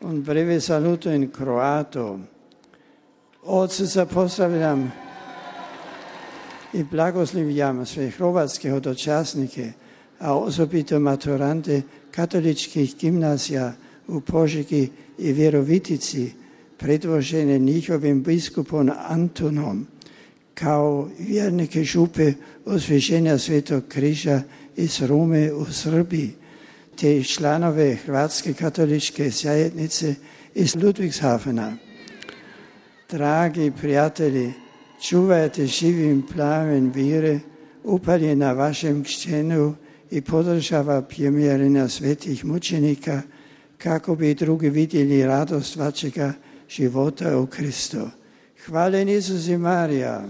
Un breve saluto in croato. Od srca pozdravljam i blagoslivljam sve hrvatske dočasnike, a osobito maturante katoličkih gimnazija u Požegi i Virovitici, predvožene njihovim biskupom Antonom, kao vjernike župe Osvježenja Svetog križa iz Rome u Srbiji, te članove Hrvatske katoličke zajednice iz Ludwigshafena. Dragi prijatelji, čuvajte živim plamen vire, upaljen na vašem kćenu i podržava primjerenja svetih mučenika, kako bi drugi vidjeli radost vašega života u Kristu. Hvala Isus i Marija.